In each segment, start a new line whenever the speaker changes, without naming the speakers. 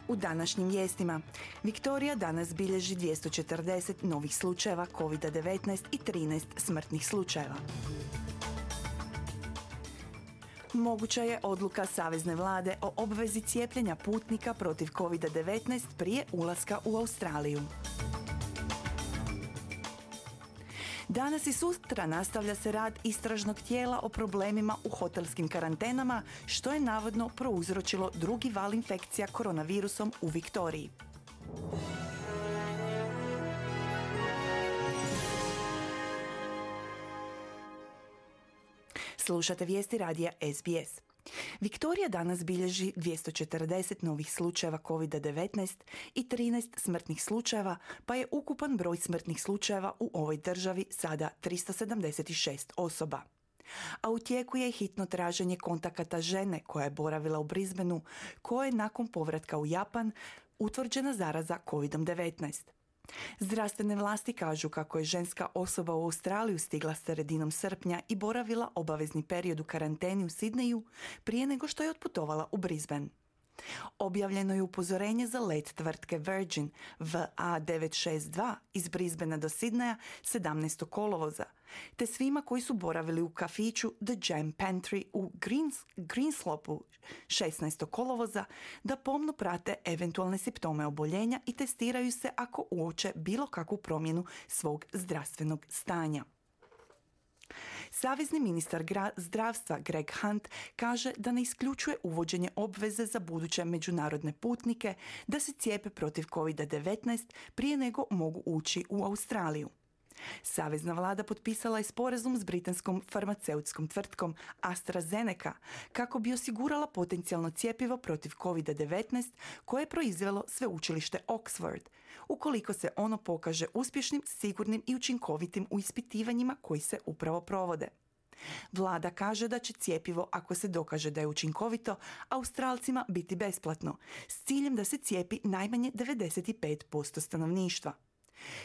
U današnjim vijestima, Viktorija danas bilježi 240 novih slučajeva COVID-19 i 13 smrtnih slučajeva. Moguća je odluka Savezne vlade o obvezi cijepljenja putnika protiv COVID-19 prije ulaska u Australiju. Danas i sutra nastavlja se rad istražnog tijela o problemima u hotelskim karantenama, što je navodno prouzročilo drugi val infekcija koronavirusom u Viktoriji. Slušate vijesti radija SBS. Viktorija danas bilježi 240 novih slučajeva COVID-19 i 13 smrtnih slučajeva, pa je ukupan broj smrtnih slučajeva u ovoj državi sada 376 osoba. A u tijeku je hitno traženje kontakata žene koja je boravila u Brisbaneu, koja je nakon povratka u Japan utvrđena zaraza COVID-19. Zdravstvene vlasti kažu kako je ženska osoba u Australiju stigla sredinom srpnja i boravila obavezni period u karanteni u Sidneju prije nego što je otputovala u Brisbane. Objavljeno je upozorenje za let tvrtke Virgin VA962 iz Brisbanea do Sidneja 17. kolovoza, te svima koji su boravili u kafiću The Jam Pantry u Greenslopu 16. kolovoza da pomno prate eventualne simptome oboljenja i testiraju se ako uoče bilo kakvu promjenu svog zdravstvenog stanja. Savezni ministar zdravstva Greg Hunt kaže da ne isključuje uvođenje obveze za buduće međunarodne putnike da se cijepe protiv COVID-19 prije nego mogu ući u Australiju. Savezna vlada potpisala je sporazum s britanskom farmaceutskom tvrtkom AstraZeneca kako bi osigurala potencijalno cjepivo protiv COVID-19 koje je proizvelo sveučilište Oxford, ukoliko se ono pokaže uspješnim, sigurnim i učinkovitim u ispitivanjima koji se upravo provode. Vlada kaže da će cjepivo, ako se dokaže da je učinkovito, Australcima biti besplatno, s ciljem da se cijepi najmanje 95% stanovništva.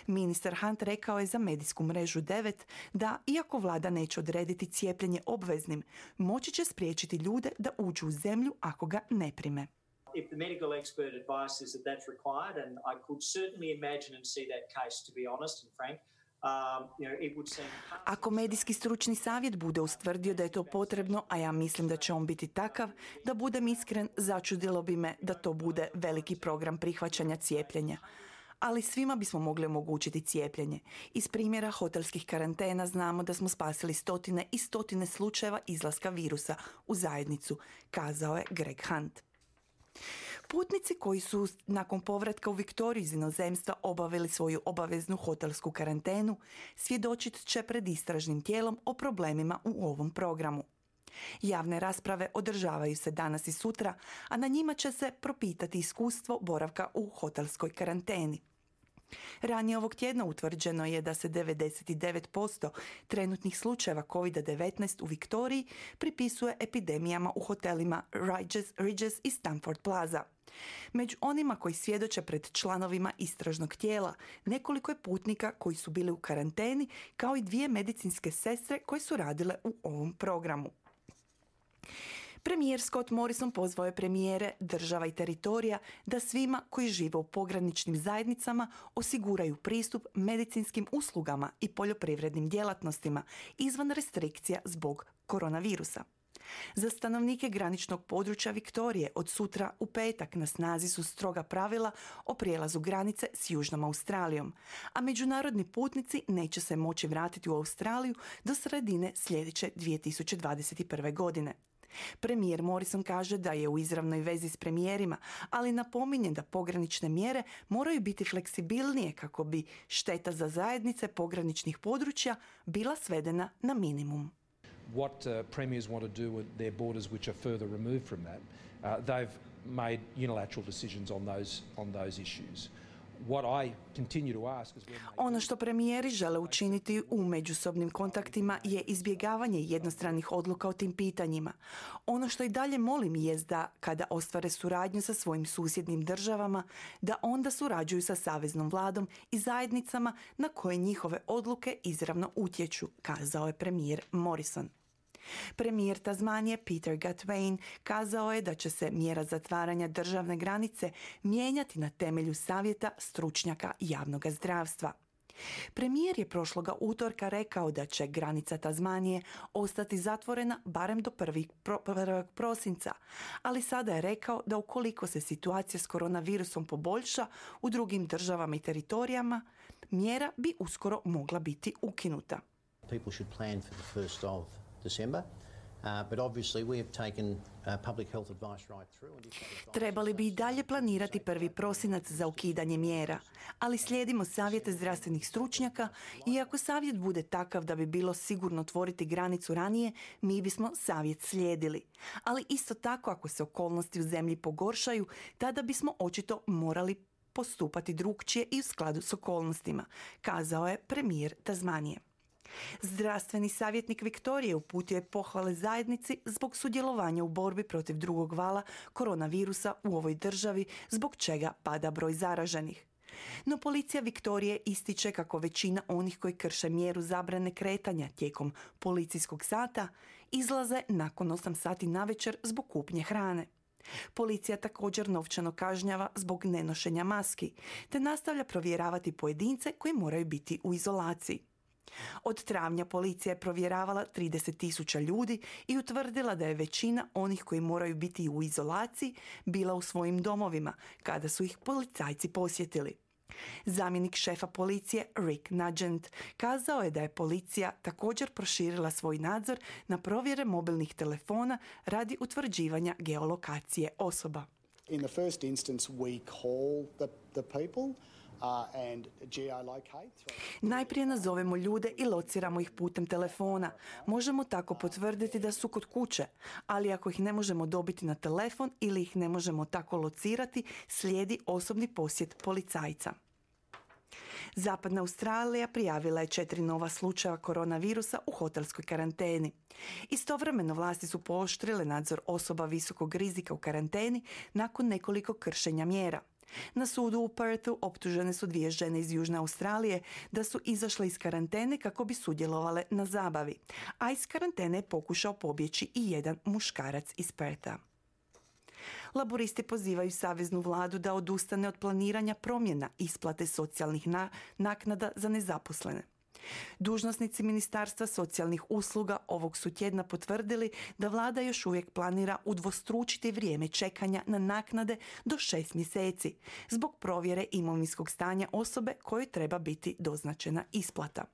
Ministar Hunt rekao je za medijsku mrežu 9 da, iako vlada neće odrediti cijepljenje obveznim, moći će spriječiti ljude da uđu u zemlju ako ga ne prime.
If the medical expert advice is that that's required, and I could certainly imagine and see that case, to be honest and frank,
Ako medijski stručni savjet bude ustvrdio da je to potrebno, a ja mislim da će on biti takav, da budem iskren, začudilo bi me da to bude veliki program prihvaćanja cijepljenja. Ali svima bismo mogli omogućiti cijepljenje. Iz primjera hotelskih karantena znamo da smo spasili stotine i stotine slučajeva izlaska virusa u zajednicu, kazao je Greg Hunt. Putnici koji su nakon povratka u Viktoriju iz inozemstva obavili svoju obaveznu hotelsku karantenu svjedočit će pred istražnim tijelom o problemima u ovom programu. Javne rasprave održavaju se danas i sutra, a na njima će se propitati iskustvo boravka u hotelskoj karanteni. Ranije ovog tjedna utvrđeno je da se 99% trenutnih slučajeva COVID-19 u Viktoriji pripisuje epidemijama u hotelima Regis i Stamford Plaza. Među onima koji svjedoče pred članovima istražnog tijela, nekoliko je putnika koji su bili u karanteni, kao i 2 medicinske sestre koje su radile u ovom programu. Premijer Scott Morrison pozvao je premijere država i teritorija da svima koji žive u pograničnim zajednicama osiguraju pristup medicinskim uslugama i poljoprivrednim djelatnostima izvan restrikcija zbog koronavirusa. Za stanovnike graničnog područja Viktorije od sutra u petak na snazi su stroga pravila o prijelazu granice s Južnom Australijom, a međunarodni putnici neće se moći vratiti u Australiju do sredine sljedeće 2021. godine. Premijer Morrison kaže da je u izravnoj vezi s premijerima, ali napominje da pogranične mjere moraju biti fleksibilnije kako bi šteta za zajednice pograničnih područja bila svedena na minimum.
What premiers want to do with their borders which are further removed from that, they've made unilateral decisions on those issues.
Ono što premijeri žele učiniti u međusobnim kontaktima je izbjegavanje jednostranih odluka o tim pitanjima. Ono što i dalje molim jest da kada ostvare suradnju sa svojim susjednim državama, da onda surađuju sa saveznom vladom i zajednicama na koje njihove odluke izravno utječu, kazao je premijer Morrison. Premijer Tasmanije Peter Gutwein kazao je da će se mjera zatvaranja državne granice mijenjati na temelju savjeta stručnjaka javnog zdravstva. Premijer je prošloga utorka rekao da će granica Tasmanije ostati zatvorena barem do 1. prosinca, ali sada je rekao da ukoliko se situacija s koronavirusom poboljša u drugim državama i teritorijama, mjera bi uskoro mogla biti ukinuta.
People should plan for the 1st of December. But obviously we have taken public health advice right through.
Trebali bi i dalje planirati 1. prosinac za ukidanje mjera, ali slijedimo savjete zdravstvenih stručnjaka i ako savjet bude takav da bi bilo sigurno otvoriti granicu ranije, mi bismo savjet slijedili. Ali isto tako ako se okolnosti u zemlji pogoršaju, tada bismo očito morali postupati drukčije i u skladu s okolnostima, kazao je premijer Tasmanije. Zdravstveni savjetnik Viktorije uputio je pohvale zajednici zbog sudjelovanja u borbi protiv drugog vala koronavirusa u ovoj državi, zbog čega pada broj zaraženih. No policija Viktorije ističe kako većina onih koji krše mjeru zabrane kretanja tijekom policijskog sata izlaze nakon 8 sati navečer zbog kupnje hrane. Policija također novčano kažnjava zbog nenošenja maski, te nastavlja provjeravati pojedince koji moraju biti u izolaciji. Od travnja policija je provjeravala 30.000 ljudi i utvrdila da je većina onih koji moraju biti u izolaciji bila u svojim domovima kada su ih policajci posjetili. Zamjenik šefa policije Rick Nugent kazao je da je policija također proširila svoj nadzor na provjere mobilnih telefona radi utvrđivanja geolokacije osoba.
In the first instance we call the people.
Najprije nazovemo ljude i lociramo ih putem telefona. Možemo tako potvrditi da su kod kuće, ali ako ih ne možemo dobiti na telefon ili ih ne možemo tako locirati, slijedi osobni posjet policajca. Zapadna Australija prijavila je 4 nova slučaja koronavirusa u hotelskoj karanteni. Istovremeno vlasti su pooštrile nadzor osoba visokog rizika u karanteni nakon nekoliko kršenja mjera. Na sudu u Perthu optužene su 2 žene iz Južne Australije da su izašle iz karantene kako bi sudjelovale na zabavi, a iz karantene je pokušao pobjeći i jedan muškarac iz Pertha. Laburisti pozivaju saveznu vladu da odustane od planiranja promjena isplate socijalnih naknada za nezaposlene. Dužnosnici Ministarstva socijalnih usluga ovog su tjedna potvrdili da vlada još uvijek planira udvostručiti vrijeme čekanja na naknade do 6 mjeseci zbog provjere imovinskog stanja osobe kojoj treba biti doznačena isplata.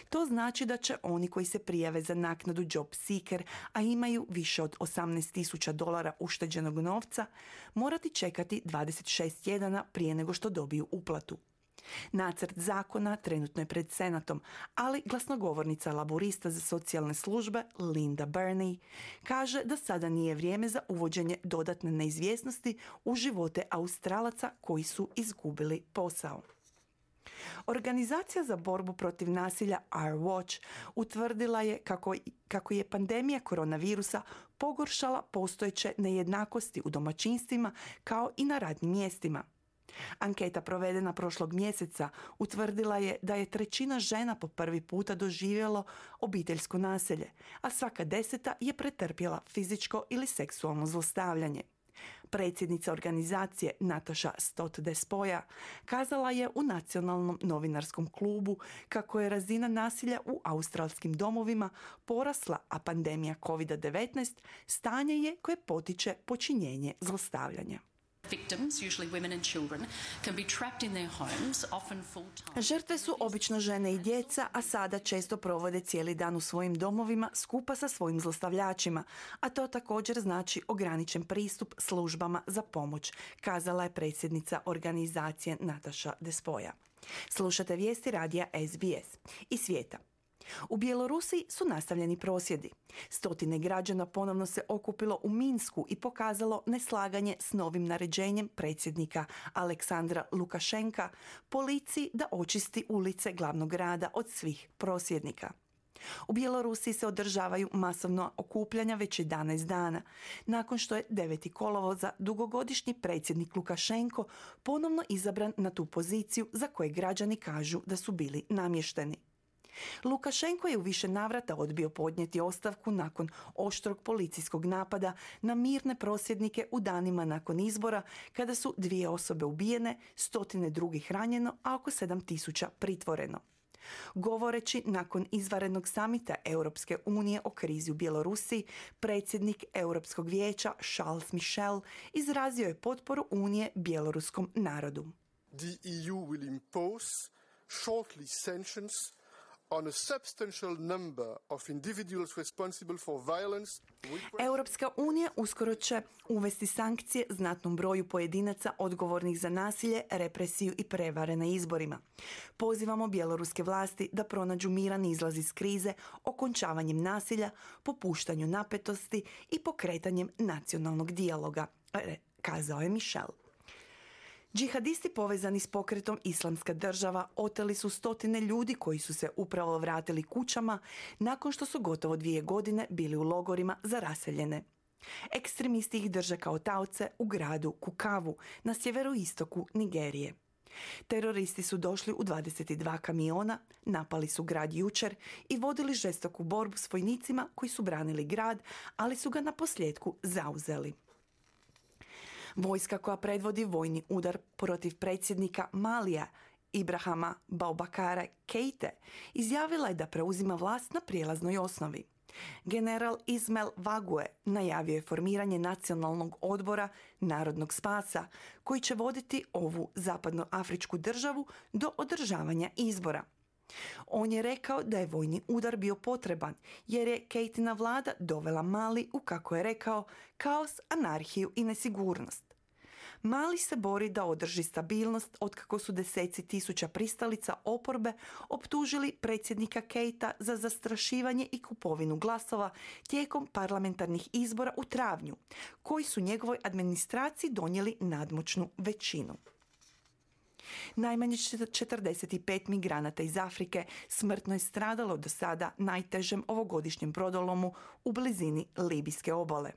To znači da će oni koji se prijave za naknadu Job Seeker, a imaju više od $18,000 ušteđenog novca, morati čekati 26 tjedana prije nego što dobiju uplatu. Nacrt zakona trenutno je pred Senatom, ali glasnogovornica laborista za socijalne službe Linda Burney kaže da sada nije vrijeme za uvođenje dodatne neizvjesnosti u živote Australaca koji su izgubili posao. Organizacija za borbu protiv nasilja Our Watch utvrdila je kako je pandemija koronavirusa pogoršala postojeće nejednakosti u domaćinstvima kao i na radnim mjestima. Anketa provedena prošlog mjeseca utvrdila je da je 1/3 žena po prvi puta doživjelo obiteljsko nasilje, a svaka 10. je pretrpjela fizičko ili seksualno zlostavljanje. Predsjednica organizacije Natasha Stott Despoja kazala je u Nacionalnom novinarskom klubu kako je razina nasilja u australskim domovima porasla, a pandemija COVID-19 stanje je koje potiče počinjenje zlostavljanja. Žrtve su obično žene i djeca, a sada često provode cijeli dan u svojim domovima skupa sa svojim zlostavljačima, a to također znači ograničen pristup službama za pomoć, kazala je predsjednica organizacije Natasha Despoja. Slušate vijesti radija SBS i svijeta. U Bjelorusiji su nastavljeni prosvjedi. Stotine građana ponovno se okupilo u Minsku i pokazalo neslaganje s novim naređenjem predsjednika Aleksandra Lukašenka policiji da očisti ulice glavnog grada od svih prosvjednika. U Bjelorusiji se održavaju masovna okupljanja već 11 dana, nakon što je 9. kolovoza dugogodišnji predsjednik Lukašenko ponovno izabran na tu poziciju za koje građani kažu da su bili namješteni. Lukašenko je u više navrata odbio podnijeti ostavku nakon oštrog policijskog napada na mirne prosvjednike u danima nakon izbora, kada su 2 osobe ubijene, stotine drugih ranjeno, a oko 7.000 pritvoreno. Govoreći nakon izvanrednog samita Europske unije o krizi u Bjelorusiji, predsjednik Europskog vijeća Charles Michel izrazio je potporu Unije bjeloruskom narodu.
The EU will impose shortly sanctions on a substantial number of individuals responsible for violence.
Europska unija uskoro će uvesti sankcije znatnom broju pojedinaca odgovornih za nasilje, represiju i prevare na izborima. Pozivamo bjeloruske vlasti da pronađu miran izlaz iz krize okončavanjem nasilja, popuštanju napetosti i pokretanjem nacionalnog dijaloga, kazao je Michel. Džihadisti povezani s pokretom Islamska država oteli su stotine ljudi koji su se upravo vratili kućama nakon što su gotovo 2 godine bili u logorima za raseljene. Ekstremisti ih drže kao taoce u gradu Kukavu na sjeveroistoku Nigerije. Teroristi su došli u 22 kamiona, napali su grad jučer i vodili žestoku borbu s vojnicima koji su branili grad, ali su ga naposljetku zauzeli. Vojska koja predvodi vojni udar protiv predsjednika Malija Ibrahima Boubacara Keite izjavila je da preuzima vlast na prijelaznoj osnovi. General Ismail Vague najavio je formiranje nacionalnog odbora Narodnog spasa koji će voditi ovu zapadnoafričku državu do održavanja izbora. On je rekao da je vojni udar bio potreban jer je Keitina vlada dovela Mali u, kako je rekao, kaos, anarhiju i nesigurnost. Mali se bori da održi stabilnost otkako su deseci tisuća pristalica oporbe optužili predsjednika Keita za zastrašivanje i kupovinu glasova tijekom parlamentarnih izbora u travnju, koji su njegovoj administraciji donijeli nadmoćnu većinu. Najmanje 45 migranata iz Afrike smrtno je stradalo do sada najtežem ovogodišnjem brodolomu u blizini libijske obale.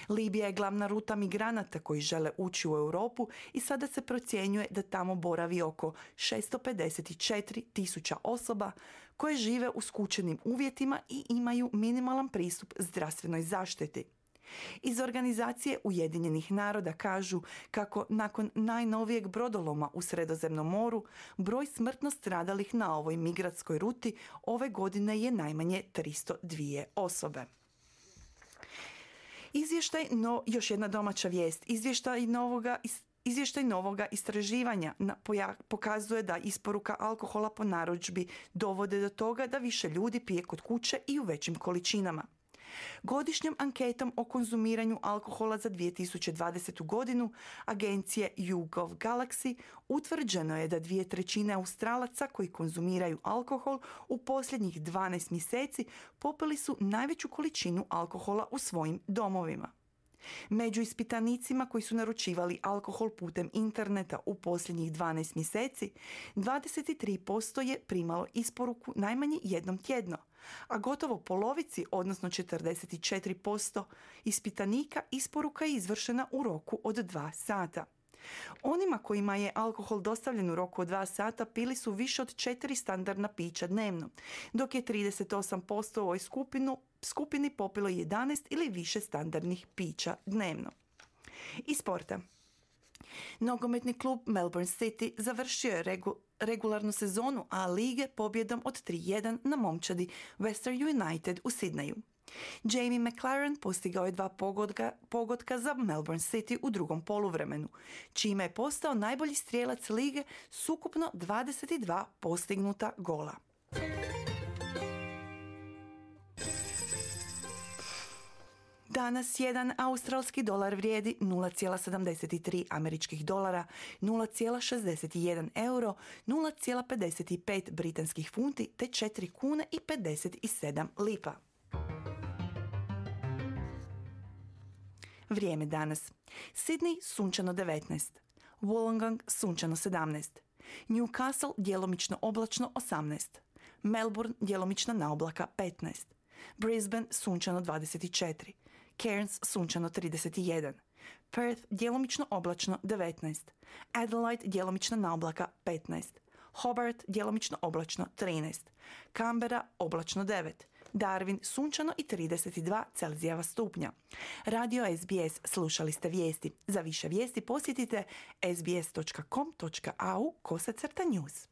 Libija je glavna ruta migranata koji žele ući u Europu i sada se procjenjuje da tamo boravi oko 654.000 osoba koje žive u skučenim uvjetima i imaju minimalan pristup zdravstvenoj zaštiti. Iz organizacije Ujedinjenih naroda kažu kako nakon najnovijeg brodoloma u Sredozemnom moru broj smrtno stradalih na ovoj migratskoj ruti ove godine je najmanje 302 osobe. Još jedna domaća vijest. Izvještaj novoga istraživanja pokazuje da isporuka alkohola po narudžbi dovode do toga da više ljudi pije kod kuće i u većim količinama. Godišnjom anketom o konzumiranju alkohola za 2020. godinu agencije YouGov Galaxy utvrđeno je da 2/3 Australaca koji konzumiraju alkohol u posljednjih 12 mjeseci popili su najveću količinu alkohola u svojim domovima. Među ispitanicima koji su naručivali alkohol putem interneta u posljednjih 12 mjeseci, 23% je primalo isporuku najmanje jednom tjedno, a gotovo polovici, odnosno 44% ispitanika isporuka je izvršena u roku od 2 sata. Onima kojima je alkohol dostavljen u roku od 2 sata pili su više od 4 standardna pića dnevno, dok je 38% u ovoj skupini popilo 11 ili više standardnih pića dnevno. Iz sporta. Nogometni klub Melbourne City završio je regularnu sezonu A lige pobjedom od 3-1 na momčadi Western United u Sidneju. Jamie McLaren postigao je 2 pogotka za Melbourne City u drugom poluvremenu, čime je postao najbolji strijelac lige s ukupno 22 postignuta gola. Danas jedan australski dolar vrijedi 0,73 američkih dolara, 0,61 euro, 0,55 britanskih funti te 4 kune i 57 lipa. Vrijeme danas. Sydney sunčano 19, Wollongong sunčano 17, Newcastle djelomično oblačno 18, Melbourne djelomično na oblaka 15, Brisbane sunčano 24, Cairns sunčano 31, Perth djelomično oblačno 19, Adelaide djelomično na oblaka 15, Hobart djelomično oblačno 13, Canberra oblačno 9, Darwin sunčano i 32 Celzijeva stupnja. Radio SBS, slušali ste vijesti. Za više vijesti posjetite sbs.com.au/news.